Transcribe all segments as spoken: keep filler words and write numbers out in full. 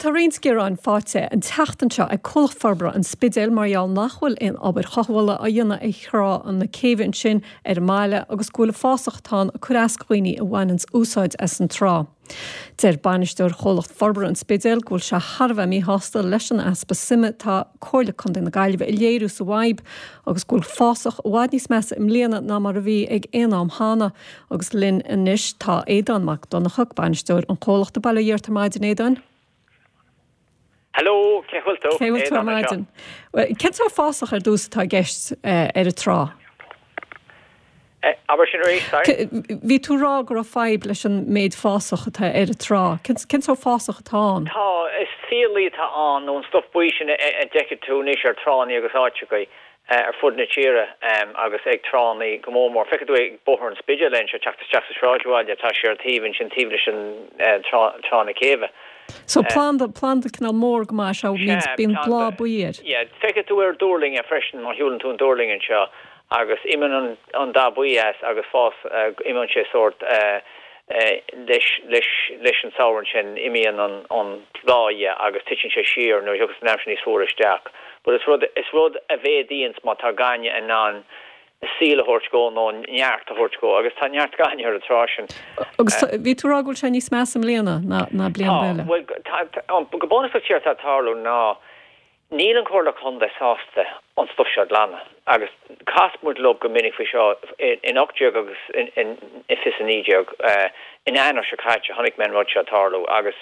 Bhuel, tá roinnt gearáin faighte an tseachtain seo ag Comhlacht Forbartha an Spidéil mar gheall nach bhfuil aon obair chothabhála á dhéanamh ar thrá na céibhe ansin ar an mbaile agus go bhfuil an fásach atá ann ag cur as do dhaoine a bhaineanns úsáid as an trá. Deir bainisteoir Chomhlacht Forbartha an Spidéil go bhfuil sé thar a bheith míshásta leis an easpa suime atá Comhairle Contae na Gaillimhe a léiriú sa bhfadhb agus go bhfuil fásach i bhfad níos measa i mbliana ná mar a bhí ag aon am cheana agus linn anois tá Aodán Mac Donncha, bainisteoir an chomhlachta. Bail ó Dhia ort ar maidin, Aodáin? Hello, cén chaoi a bhfuil tú? Cén chaoi a bhfuil tú ar maidin? Cén sórt fásach ar dtús atá i gceist ar an trá? Abair sin arís, sorry? Bhí tú ag rá go raibh fadhb leis an méid fásach atá ar an trá. Cén sórt fásach atá ann? Tá, is fiailí atá ann, nó an stuff buí sin a d'fheicfidh tú anois ar tránna agus áiteachaí ar fud na tíre agus ag tránna go mór mór. Feicfidh tú ag Bóthar an Spidéil anseo, teacht isteach sa sráidbhaile, tá sé ar taobh ansin, taobh leis an trá na céibhe. So planda, planda cineál mór go maith, sea, bíonn bláth buí air. Yeah, feicfidh tú ar duirling é freisin má shiúlann tú an duirling anseo. Agus imíonn an dath buí as agus fás, imíonn sé sórt leis, leis, leis an samhradh ansin, imíonn an, an bláth dhe agus titeann sé siar nuair a thiocfas an aimsir níos fuaire isteach. But is rud, is rud a mhéadaíonns má tá gainne in ann saol a thabhairt dhó nó neart a thabhairt dhó agus tá neart gainne ar an trá sin. Agus bhí tú ag rá go bhfuil sé níos measa i mbliana ná, ná bliain Tá, eile. bhuel, tá, tá, go bunúsach séard atá ag tarlú ná, Níl an Chomhairle Contae sásta an stuif seo a ghlanadh agus chas muid leo go minic faoi seo in ocht déag agus in fiche a naoi déag. In Eanáir seo caite chonaic mé an rud seo ag tarlú agus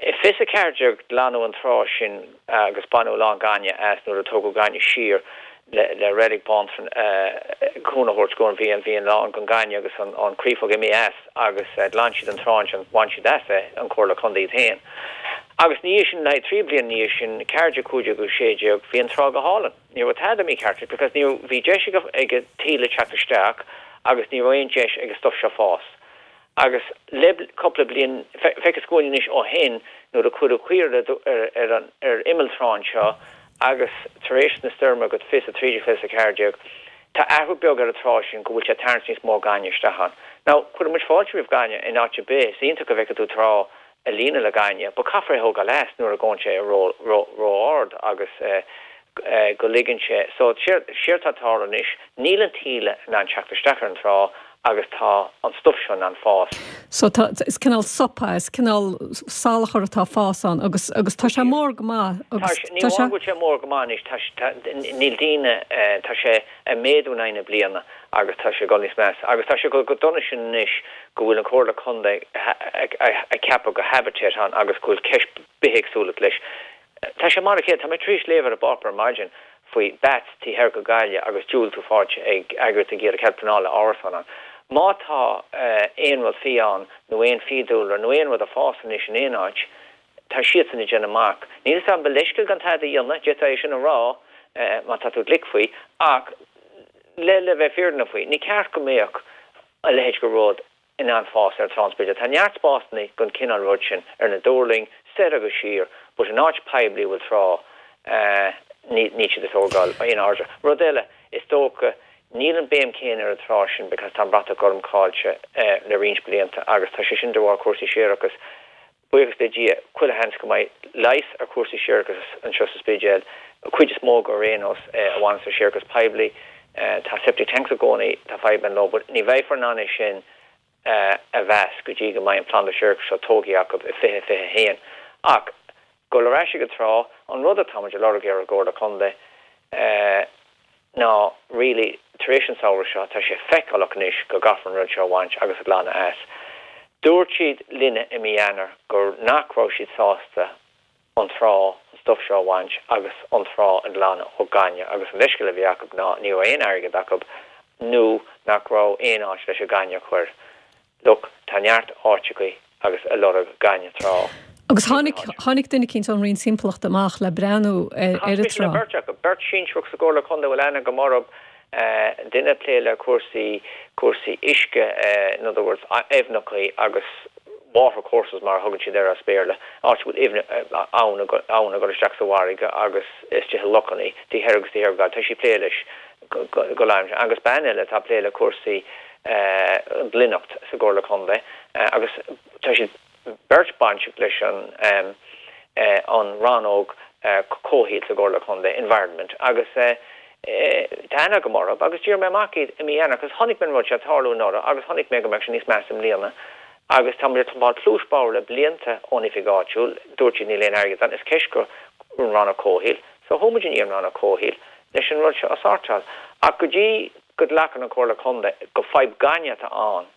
i fiche a ceathair déag glanadh an trá sin agus baineadh a lán gainne as nuair a tógadh gainne siar le Reilig Bheanntraí cúnamh a thabhairt go bhí an bhí a lán den ghainne agus an creafóg imithe as agus ghlan siad an trá ansin, bhain siad as é, an Chomhairle Contae iad féin. Agus ina dhiaidh sin, le haghaidh trí bliana ina dhiaidh sin, ceathair déag, cúig déag agus sé déag, bhí an trá go hálainn. Ní raibh tada mícheart because ní raibh, bhí deis ag ag an taoille teacht isteach agus ní raibh aon deis ag an stuff seo fás. Agus le cúpla bliain, feictear dhúinn anois ó shin nuair a cuireadh caora ar ar an ar imeall trá anseo agus tar éis na stoirme go fiche a trí déag, fiche a ceathair déag, tá athrú beag ar an trá sin go bhfuil sé ag tarraingt níos mó gainne isteach ann. Now, cuireann muid fáilte roimh gainne in áit ar bith, is iontach go bhfeicfidh tú trá a líonadh le gainne, but caithfear é a thógáil as nuair a ghabhann sé ró-ard agus go ligeann sé. So, séard atá ag tarlú anois, níl an taoille in ann teacht isteach ar an trá agus tá an stuif seo in ann fás. So tá, is cineál sop é, is cineál salachar atá ag fás ann agus, agus tá sé mór go maith agus tá sé, ní amháin go bhfuil sé mór go maith anois, tá, tá, níl daoine, tá sé ag méadú in aghaidh na bliana agus tá sé ag dul níos measa. Agus tá sé ag dul chomh dona sin anois go bhfuil an Chomhairle Contae ag ceapadh gur habitat ann agus go bhfuil ceist bithéagsúlacht leis. Tá sé mar a chéile, tá mé tar éis léamh ar an bpáipéar ar maidin faoi bats taobh thoir go Gaillimh agus diúltú faighte ag eagraíocht ag iarraidh cead pleanála árasán ann. Má tá aon rud fiáin nó aon fiadhúlra nó aon rud ag fás anois in aon áit, tá siadsan ag déanamh amach. Níl 'fhios a'm, ba leithscéal gan tada a dhéanamh, d'fhéadfá é sin a rá má tá tú glic faoi, ach le le bheith fírinneach faoi, ní ceart go mbeadh a leithéid de rud in ann fás ar Trá an Spidéil. Tá neart spásanna don chineál rud sin ar na duirling, soir agus siar, but in áit poiblí a bhfuil trá, níl siad ag tógáil aon airde. Rud eile, is dócha, níl an béim céanna ar an trá sin because tá an bratach gorm caillte le roinnt blianta agus tá sé sin de bharr cúrsaí séarachais. Buíochas le Dia, chuile sheans go mbeidh leigheas ar chúrsaí séarachais anseo sa Spidéal, an chuid is mó go ar aon nós, a bhaineas le séarachas poiblí. Tá septic tanks i gcónaí, tá fadhbanna leo, but ní bheifear in ann é sin a mheas go dtí go mbeidh an planda séarachais seo tógtha acu i fiche fiche a haon. Ach dul ar ais ag an trá, an rud atá muid ag lorg ar an gComhairle Contae, ná really tar éis an samhradh seo, tá sé feiceálach anois go gcaithfear an rud seo a bhaint agus a ghlanadh as. Dúirt siad linne i mí Eanáir gur nach raibh siad sásta an trá, an stuif seo a bhaint agus an trá a ghlanadh ó ghainne agus an leithscéal a bhí acu ná ní raibh aon airgead acu nó nach raibh aon áit leis an ghainne a chur. Look, tá neart áiteachaí agus ag lorg gainne trá. Agus tháinig, tháinig duine eicínt ón Roinn Timpeallachta amach le breathnú ar Chas an mise le trá. beirt acu, beirt sinsearach sa gComhairle Contae a bhfuil aithne agam orthu, duine ag plé le cúrsaí, cúrsaí uisce, in other words, aibhneachaí agus water courses mar a thugann siad air as Béarla, áit a bhfuil aibhne, abhainn, abhainn ag dul isteach sa bhfarraige agus istigh i lochannaí, taobh thoir agus taobh thiar de Ghaillimh. Tá sí ag plé leis go láimse. Agus bean eile atá ag plé le cúrsaí glinneacht sa gComhairle Contae agus tá siad beirt bainteach leis an an rannóg comhshaoil sa gComhairle Contae, environment, agus tá aithne agam orthu agus d'iarr mé amach iad i mí Eanáir agus chonaic mé an rud seo ag tarlú anuraidh agus chonaic mé go mbeadh sé níos measa i mbliana agus tá muid ag pumpáil pluais bodhar le blianta ón oifig áitiúil, dúirt siad níl aon airgead ann, is ceist go an rannóg comhshaoil, so chuaigh muid i ndiaidh an rannóg comhshaoil leis an rud seo a shórtáil. Ach go dtí go nglacann an Chomhairle Contae go fadhb gainne atá ann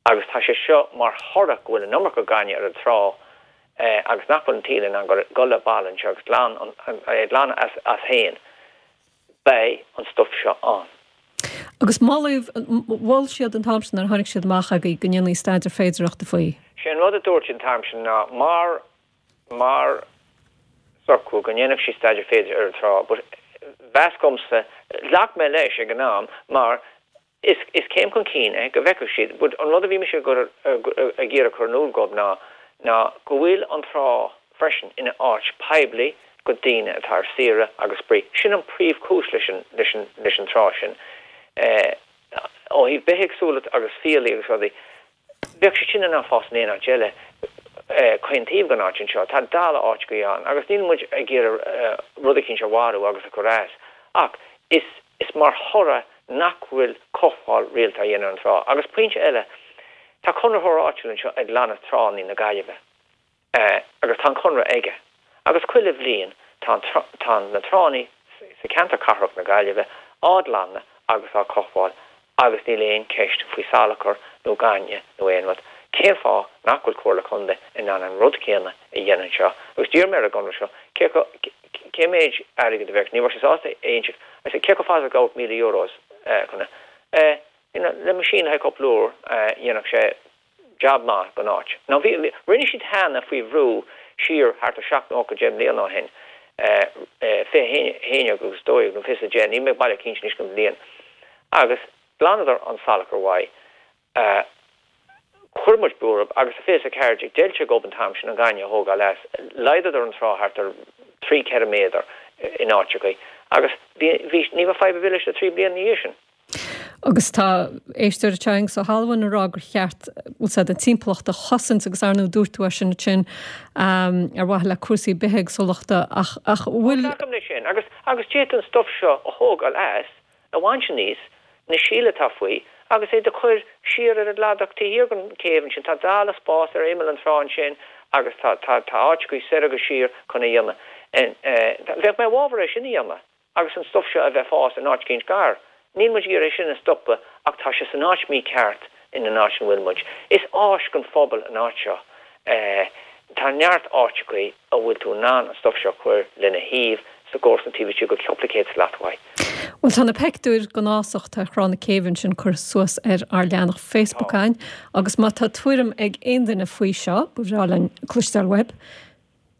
agus tá sé seo mar thoradh go bhfuil an iomarca gainne ar an trá agus nach bhfuil an taoille in ann dul le baile anseo agus glan é glanadh as as féin, beidh an stuif seo ann. Agus moladh, mhol siad an t-am sin nuair a tháinig siad amach agaibh go ndéanfaí staidéar féidearthachta faoi. Sé an rud a dúirt siad an t-am sin ná mar mar socrú go ndéanfadh siad staidéar féidearthachta ar an trá but mheas domsa, ghlac mé leis ag an am mar is is céim chun cinn é go bhfeicfeadh siad but an rud a bhí mise ag ag iarraidh cur in iúl dóibh ná ná go bhfuil an trá freisin ina áit poiblí go daoine atá ar saoire agus spraoi. Sin an príomhchúis leis an leis an leis an trá sin. Ó thaobh bithéagsúlacht agus fiailí agus rudaí, bheadh siad sin in ann fás in aon áit eile chaon taobh den áit anseo. Tá dalladh áiteachaí ann agus níl muid ag iarraidh rud eicínt a mharú agus a chur as ach is is mar thoradh nach bhfuil cothabháil rialta á dhéanamh ar an trá. Agus pointe eile, tá conraitheoir áitiúil anseo ag glanadh tránna na Gaillimhe agus tá an conradh aige agus chuile bhliain tá tá na tránna sa cheantar cathrach na Gaillimhe á nglanadh agus á cothabháil agus níl aon cheist faoi salachar nó gainne nó aon rud. Cén fáth nach bhfuil Comhairle Contae in ann an rud céanna a dhéanamh anseo? Agus d'iarr mé ar an gconradh seo cé cé méid airgid a bheadh, ní raibh sé sásta a insint, I said cé chomh fada is a ghabhadh míle euros chun é, you know, le machine le haghaidh cúpla uair dhéanfadh sé jab maith don áit. Now bhí, rinne siad cheana faoi bhrú siar thart ar seacht nócha deich mbliana ó shin, fiche haon déag agus dó dhéag nó fiche is a deich, níl mé baileach cinnte anois den bhliain, agus ghlanadar an salachar uaidh. Chuir muid brú orthu agus sa fiche is a ceathair déag d'fheil sé dhóibh an t-am sin an gaineamh a thógáil as. Laghdaíodar an trá thart ar trí, ceithre méadar in áiteachaí agus bhí, bhí, ní raibh fadhb ar bith leis na trí bliana ina dhiaidh sin. Agus tá éisteoir anseo Aengus Ó hAlmhain ag rá gur cheart, bhfuil 's a'd, an timpeallacht a chosaint agus ar ndóigh dúirt tú é sin ansin ar mhaithe le cúrsaí bithéagsúlachta ach, ach bhfuil. Glacaim leis sin agus, agus d'fhéadfaí an stuif seo a thógáil as, a bhaint aníos, na síolta atá faoi agus é do chur siar ar an gcladach taobh thiar den chéibh ansin. Tá dalladh spás ar imeall an trá ansin agus tá, tá, tá áiteachaí soir agus siar chun é a dhéanamh. Bheadh mé i bhfabhar é sin a dhéanamh agus an stuif seo a bheith fás in áit eicínt gar. Níl muid ag iarraidh é sin a stopadh ach tá sé san áit mícheart in an áit ina bhfuil muid. Is áis don phobal an áit seo. Tá neart áiteachaí a bhfuil tú in ann an stuif seo a chur lena thaobh sa gcomharsan taobh istigh de chúpla céad slat uaidh. Bhuel, tá na peictiúir den fhásach atá ar Thrá na Céibhe ansin curtha suas ar ár leathanach Facebook againn agus má tá tuairim ag aon duine faoi seo, ba bhreá linn cloisteáil uaibh.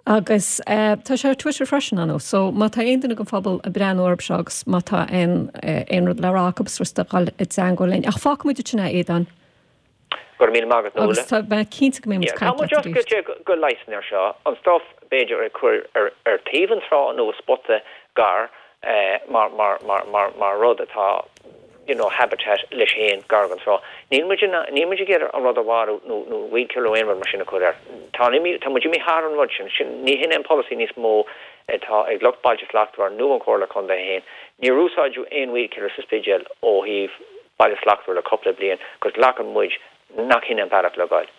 Agus tá sé ar Twitter freisin, ar ndóigh, so má tá aon duine den phobal ag breathnú orthu seo agus má tá aon aon rud le rá acu, is furasta dhul i dteangmháil linn. Ach fágfaimid ansin é, a Aodáin. Go raibh míle maith agat, Nuala. Agus tá mé cinnte go mbeidh muid ag caint leat arís. Tá muid oscailte go leigheasanna air seo, an stuff b'fhéidir ag cur ar ar taobh an trá nó i spota gar mar mar mar mar mar rud atá you know habitat leis féin gar don trá. Níl muid in níl muid ag iarraidh an rud a mharú nó nó weed killer nó aon rud mar sin a chur air. Tá tá muid imithe thar an rud sin. Sin ní hin é an polasaí níos mó atá ag lucht Bailte Slachtmhara nó an Chomhairle Contae féin. Níor úsáideadh aon weed killer sa Spidéal ó thaobh Baile Slachtmhar le cúpla bliain 'cause glacann muid nach hin an bealach le goil.